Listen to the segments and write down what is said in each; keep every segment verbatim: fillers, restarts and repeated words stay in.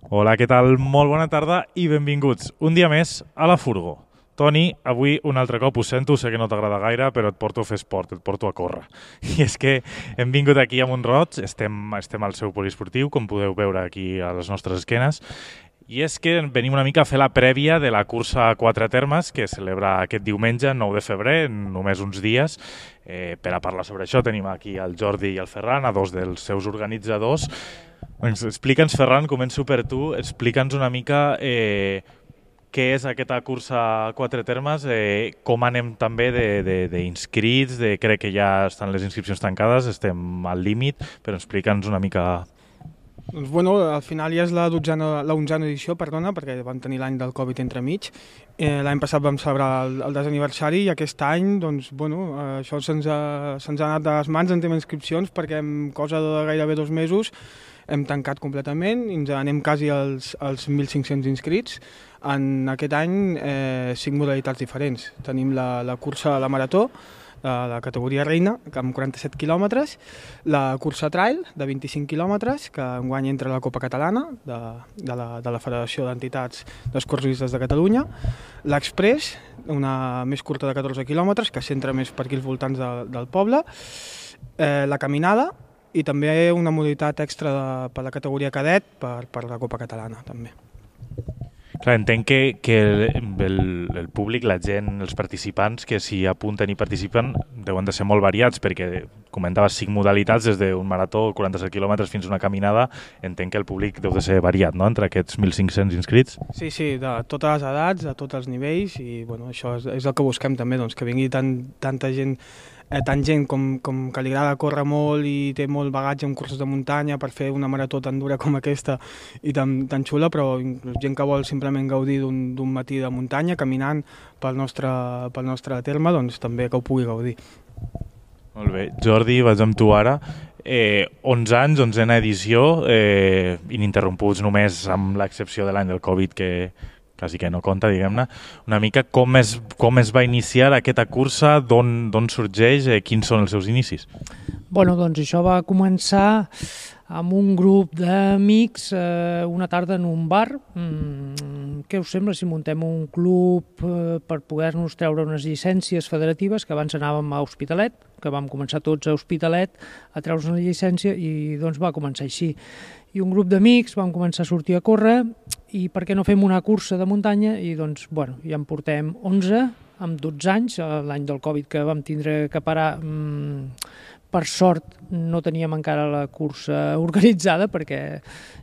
Hola, què tal? Molt bona tarda i benvinguts un dia més a la Furgo. Toni, avui un altre cop ho sento, sé que no t'agrada gaire, però et porto a fer esport, et porto a córrer. I és que hem vingut aquí a Mont-roig, estem, estem al seu poliesportiu, com podeu veure aquí a les nostres esquenes, i és que venim una mica a fer la prèvia de la cursa a quatre termes que es celebra aquest diumenge, nou de febrer, en només uns dies. Eh, per a parlar sobre això tenim aquí el Jordi i el Ferran, a dos dels seus organitzadors. Doncs explica'ns, Ferran, començo per tu, explica'ns una mica eh, què és aquesta cursa a quatre termes, eh, com anem també d'inscrits, de, de, de, crec que ja estan les inscripcions tancades, estem al límit, però explica'ns una mica. Doncs bueno, al final ja és la dotzena, la onzena edició, perdona, perquè vam tenir l'any del Covid entremig. Eh, l'any passat vam celebrar el, el desaniversari i aquest any, doncs, bueno, eh, això se'ns ha, se'ns ha anat de les mans en tema d'inscripcions perquè en cosa de gairebé dos mesos hem tancat completament i ens anem quasi als, als mil cinc-cents inscrits. En aquest any, eh, cinc modalitats diferents. Tenim la, la cursa a la marató, de la categoria reina, amb quaranta-set quilòmetres, la cursa trail, de vint-i-cinc quilòmetres, que enguany entra a la Copa Catalana, de, de, la, de la Federació d'Entitats d'Excursionistes de Catalunya, l'Express, una més curta de catorze quilòmetres, que centra més per aquí als voltants de, del poble, eh, la caminada, i també una modalitat extra de, per la categoria cadet per, per la Copa Catalana, també. Clar, entenc que, que el, el públic, la gent, els participants que s'hi apunten i participen deuen de ser molt variats, perquè comentaves cinc modalitats, des d'un marató, quaranta-set quilòmetres, fins a una caminada. Entenc que el públic deu de ser variat, no?, entre aquests mil cinc-cents inscrits. Sí, sí, de totes les edats, de tots els nivells, i bueno, això és, és el que busquem també, doncs, que vingui tant, tanta gent Eh, tant gent com, com que li agrada córrer molt i té molt bagatge en curses de muntanya per fer una marató tan dura com aquesta i tan, tan xula, però gent que vol simplement gaudir d'un matí de muntanya caminant pel nostre, pel nostre terme, doncs també que ho pugui gaudir. Molt bé. Jordi, vaig amb tu ara. Eh, onze anys, onzena edició, eh, ininterromputs només amb l'excepció de l'any del Covid, que quasi que no compta, diguem-ne. Una mica com es, com es va iniciar aquesta cursa, d'on sorgeix, eh, quins són els seus inicis? Bueno, doncs això va començar amb un grup d'amics eh, una tarda en un bar. Mm, què us sembla si muntem un club eh, per poder-nos treure unes llicències federatives, que abans anàvem a Hospitalet, que vam començar tots a Hospitalet a treure's una llicència, i doncs va començar així. I un grup d'amics vam començar a sortir a córrer, i per què no fem una cursa de muntanya? I doncs, bueno, ja en portem onze, amb dotze anys, l'any del Covid que vam tindre que parar. Mmm, per sort no teníem encara la cursa organitzada, perquè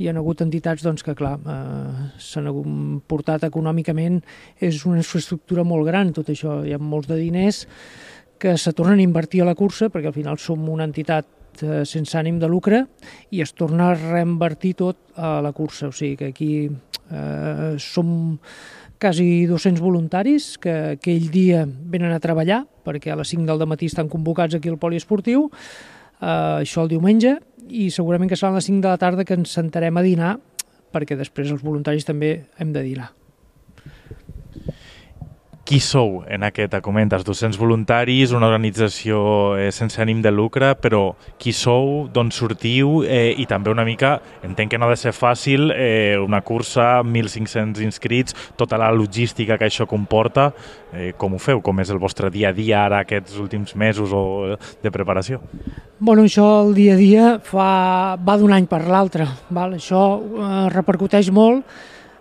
hi ha hagut entitats doncs, que, clar, eh, s'han portat econòmicament, és una infraestructura molt gran, tot això, hi ha molts de diners que se tornen a invertir a la cursa, perquè al final som una entitat eh, sense ànim de lucre, i es torna a reinvertir tot a la cursa. O sigui que aquí eh, som quasi dos-cents voluntaris que aquell dia venen a treballar, perquè a les cinc del matí estan convocats aquí al poliesportiu, eh, això el diumenge, i segurament que seran les cinc de la tarda que ens sentarem a dinar, perquè després els voluntaris també hem de dinar. Qui sou en aquest? Comentes dos-cents voluntaris, una organització eh, sense ànim de lucre, però qui sou, d'on sortiu, eh, i també una mica, entenc que no ha de ser fàcil, eh, una cursa, mil cinc-cents inscrits, tota la logística que això comporta, eh, com ho feu? Com és el vostre dia a dia ara, aquests últims mesos o de preparació? Bueno, això el dia a dia fa, va d'un any per l'altre, val? Això eh, repercuteix molt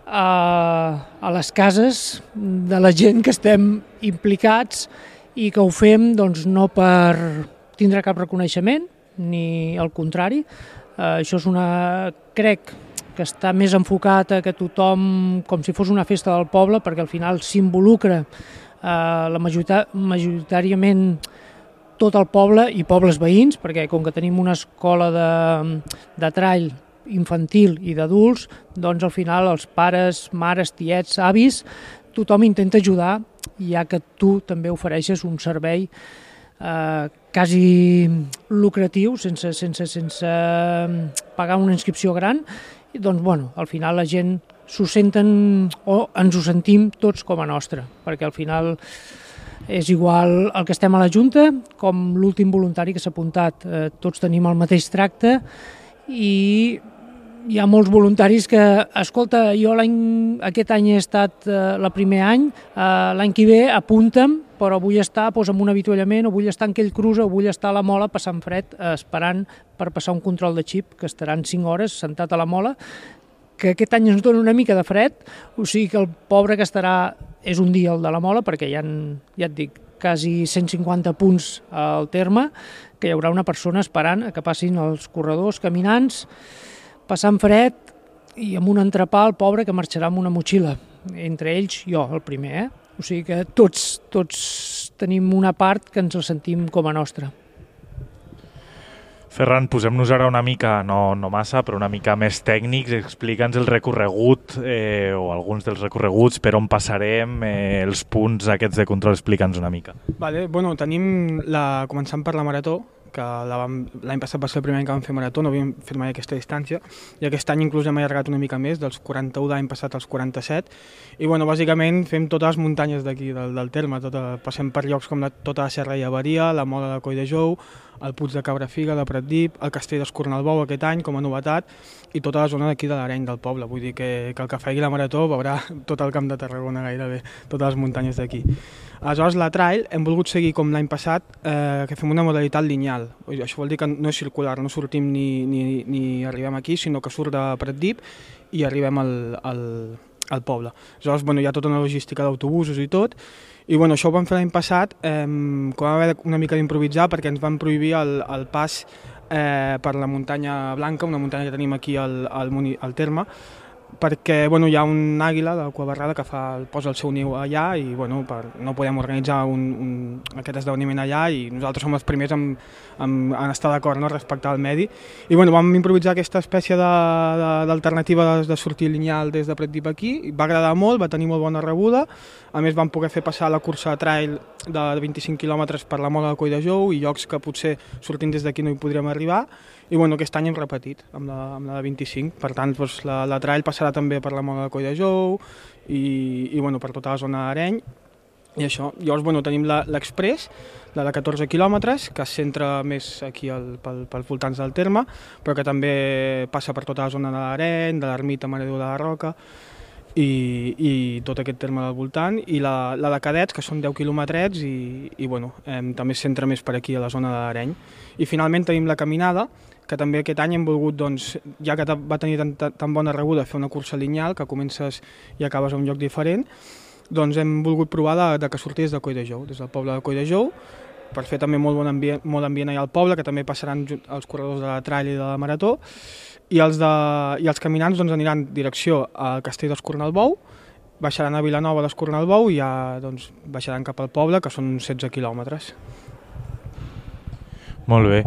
a, a les cases de la gent que estem implicats i que ho fem doncs, no per tindre cap reconeixement, ni al contrari. Eh, això és una... crec que està més enfocat a que tothom, com si fos una festa del poble, perquè al final s'involucra eh, la majorita, majoritàriament tot el poble i pobles veïns, perquè com que tenim una escola de, de trail infantil i d'adults, doncs al final els pares, mares, tiets, avis, tothom intenta ajudar, ja que tu també ofereixes un servei eh, quasi lucratiu, sense, sense, sense pagar una inscripció gran, i doncs bueno, al final la gent s'ho senten o ens ho sentim tots com a nostre, perquè al final és igual el que estem a la Junta com l'últim voluntari que s'ha apuntat, eh, tots tenim el mateix tracte i hi ha molts voluntaris que, escolta, jo aquest any he estat eh, el primer any, eh, l'any que ve apunta'm, però vull estar doncs, en un avituallament, o vull estar en aquell cruza, o vull estar a la mola passant fred, eh, esperant per passar un control de xip, que estaran cinc hores sentat a la mola, que aquest any ens dona una mica de fred, o sigui que el pobre que estarà és un dia el de la mola, perquè hi ha, ja et dic, quasi cent cinquanta punts al terme, que hi haurà una persona esperant a que passin els corredors, caminants, passant fred i amb un entrepà el pobre que marxarà amb una motxilla. Entre ells, jo, el primer, eh? O sigui que tots, tots tenim una part que ens la sentim com a nostra. Ferran, posem-nos ara una mica, no, no massa, però una mica més tècnics. Explica'ns el recorregut eh, o alguns dels recorreguts, per on passarem, eh, els punts aquests de control, explica'ns una mica. Vale, bueno, tenim la, començant per la marató, que l'any passat va ser el primer any que vam fer marató, no havíem fet mai aquesta distància, i aquest any inclús hem allargat una mica més, dels quaranta-u de l'any passat als quaranta-set, i bueno, bàsicament fem totes les muntanyes d'aquí, del, del terme, tota, passem per llocs com la, tota la Serra i Avaria, la Mola de Coll de Jou, el Puig de Cabrafiga, de Pratdip, el Castell d'Escornalbou aquest any com a novetat, i tota la zona d'aquí de l'Areny del poble, vull dir que, que el que faci la marató veurà tot el camp de Tarragona gairebé, totes les muntanyes d'aquí. Aleshores, la trail hem volgut seguir com l'any passat, eh, que fem una modalitat lineal. Això vol dir que no és circular, no sortim ni, ni, ni arribem aquí, sinó que surt de Pratdip i arribem al, al, al poble. Aleshores, bueno, hi ha tota una logística d'autobusos i tot, i bueno, això ho vam fer l'any passat, eh, com vam haver una mica d'improvisar, perquè ens van prohibir el, el pas eh, per la muntanya Blanca, una muntanya que tenim aquí al, al, al terme, perquè bueno, hi ha un àguila de cua barrada que fa, posa el seu niu allà i bueno, per, no podem organitzar un, un, aquest esdeveniment allà i nosaltres som els primers en, en, en estar d'acord, no? Respectar el medi. I bueno, vam improvisar aquesta espècie d'alternativa de, de, de sortir lineal des de Pratdip aquí, va agradar molt, va tenir molt bona rebuda, a més vam poder fer passar la cursa trail de vint-i-cinc quilòmetres per la Mola de Coll de Jou i llocs que potser sortint des d'aquí no hi podríem arribar. I bueno, aquest any hem repetit amb la, amb la de vint-i-cinc, per tant doncs, la, la trail passarà també per la Mola de Coll de Jou i, i bueno, per tota la zona d'Areny i això. Llavors bueno, tenim l'Express, la de catorze quilòmetres, que es centra més aquí al, pel, pels voltants del terme, però que també passa per tota la zona de l'Areny, de l'Ermita, Mare de la Roca i, i tot aquest terme del voltant, i la, la de cadets, que són deu quilòmetrets i, i bueno, eh, també es centra més per aquí a la zona de l'Areny. I finalment tenim la caminada, que també aquest any hem volgut, doncs, ja que va tenir tan, tan bona rebuda fer una cursa lineal, que comences i acabes a un lloc diferent, doncs hem volgut provar de, de que sortís de Coll de Jou, des del poble de Coll de Jou, per fer també molt bon ambient, molt ambient allà al poble, que també passaran els corredors de la trail i de la marató, i els, de, i els caminants doncs, aniran direcció al Castell d'Escornalbou, baixaran a Vilanova d'Escornalbou i ja doncs, baixaran cap al poble, que són setze quilòmetres. Molt bé.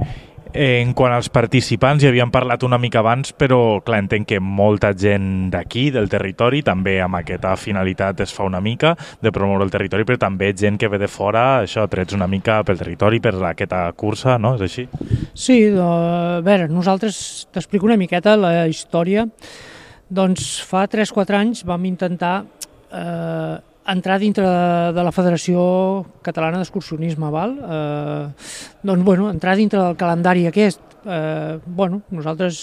En quant als participants, ja havíem parlat una mica abans, però clar, entenc que molta gent d'aquí, del territori, també amb aquesta finalitat es fa una mica de promoure el territori, però també gent que ve de fora, això, trets una mica pel territori, per aquesta cursa, no? És així? Sí, a veure, nosaltres t'explico una miqueta la història. Doncs fa tres quatre anys vam intentar eh, entrar dintre de, de la Federació Catalana d'Excursionisme, val? Eh, doncs, bueno, entrar dintre del calendari aquest. Eh, bueno, nosaltres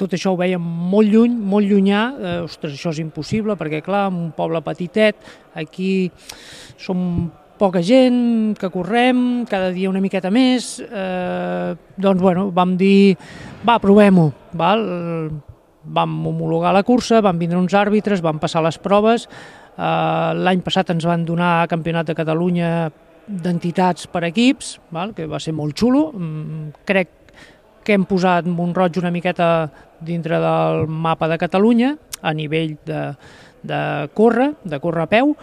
tot això ho veiem molt lluny, molt llunyà. Eh, ostres, això és impossible, perquè, clar, en un poble petitet, aquí som poca gent que correm, cada dia una miqueta més. Eh, doncs, bueno, vam dir, va, provem-ho, val? Vam homologar la cursa, van vindre uns àrbitres, van passar les proves. Uh, l'any passat ens van donar Campionat de Catalunya d'entitats per equips, val? Que va ser molt xulo. Mm, crec que hem posat Mont-roig una miqueta dintre del mapa de Catalunya a nivell de, de córrer, de córrer a peu,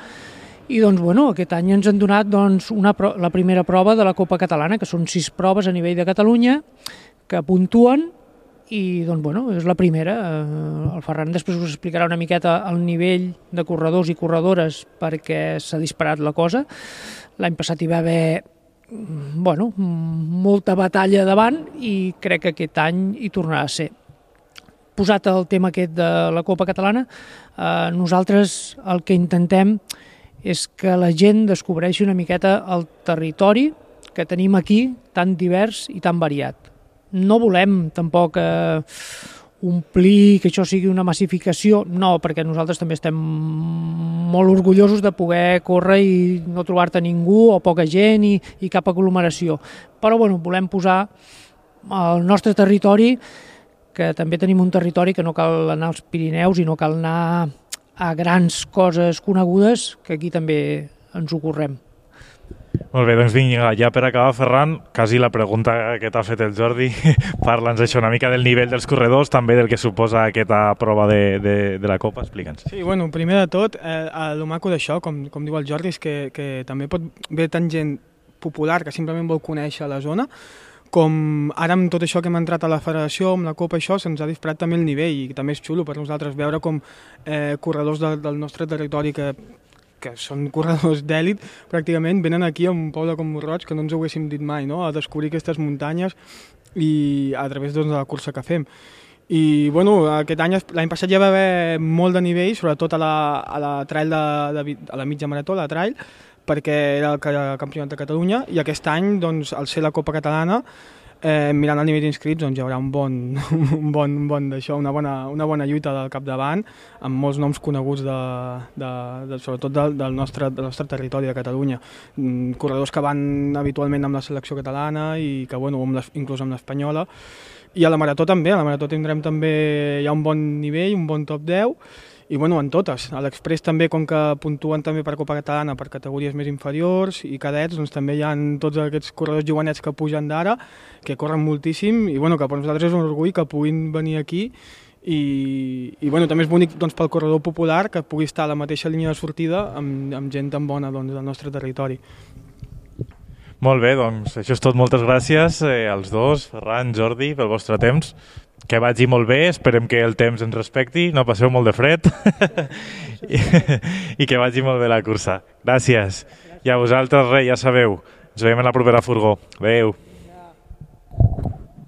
i doncs, bueno, aquest any ens han donat doncs, una, la primera prova de la Copa Catalana, que són sis proves a nivell de Catalunya que puntuen. I doncs, bueno, és la primera. El Ferran després us explicarà una miqueta el nivell de corredors i corredores perquè s'ha disparat la cosa. L'any passat hi va haver bueno, molta batalla davant i crec que aquest any hi tornarà a ser. Posat el tema aquest de la Copa Catalana, eh, nosaltres el que intentem és que la gent descobreixi una miqueta el territori que tenim aquí, tan divers i tan variat. No volem tampoc eh, omplir, que això sigui una massificació, no, perquè nosaltres també estem molt orgullosos de poder córrer i no trobar-te ningú o poca gent i, i cap aglomeració. Però bueno, volem posar el nostre territori, que també tenim un territori que no cal anar als Pirineus i no cal anar a grans coses conegudes, que aquí també ens ho correm. Molt bé, doncs vinga, ja per acabar, Ferran, quasi la pregunta que t'ha fet el Jordi, parla'ns això una mica del nivell dels corredors, també del que suposa aquesta prova de, de, de la Copa, explica'ns. Sí, bueno, primer de tot, eh, el maco d'això, com, com diu el Jordi, és que, que també pot haver tant gent popular que simplement vol conèixer la zona, com ara amb tot això que hem entrat a la federació, amb la Copa, això, se'ns ha disparat també el nivell i també és xulo per nosaltres veure com eh, corredors de, del nostre territori que que són corredors d'èlit, pràcticament venen aquí a un poble com Mont-roig, que no ens ho haguéssim dit mai, no? A descobrir aquestes muntanyes i a través doncs, de la cursa que fem. I bueno, aquest any, l'any passat ja va haver molt de nivell, sobretot a la, a la trail de, de, a la mitja marató, la trail, perquè era el campionat de Catalunya, i aquest any, doncs, al ser la Copa Catalana, Eh, mirant el nivell d'inscrits, doncs hi haurà un bon, un bon, un bon d'això, una bona, una bona lluita del capdavant, amb molts noms coneguts, de, de, de, sobretot del, del, nostre, del nostre territori de Catalunya. Mm, corredors que van habitualment amb la selecció catalana i que, bueno, amb les, inclús amb l'espanyola. I a la marató també, a la marató tindrem també ja un bon nivell, un bon top deu, i bueno, en totes. A l'Express també, com que puntuen també per Copa Catalana per categories més inferiors i cadets, doncs també hi ha tots aquests corredors jovenets que pugen d'ara, que corren moltíssim i bueno, que per nosaltres és un orgull que puguin venir aquí i, i bueno, també és bonic doncs, pel corredor popular que pugui estar a la mateixa línia de sortida amb, amb gent tan bona doncs, del nostre territori. Molt bé, doncs això és tot. Moltes gràcies eh, als dos, Ferran, Jordi, pel vostre temps. Que vagi molt bé, esperem que el temps ens respecti, no passeu molt de fred I, i que vagi molt bé la cursa. Gràcies. I a vosaltres, res, ja sabeu, ens veiem a la propera furgó. Adéu.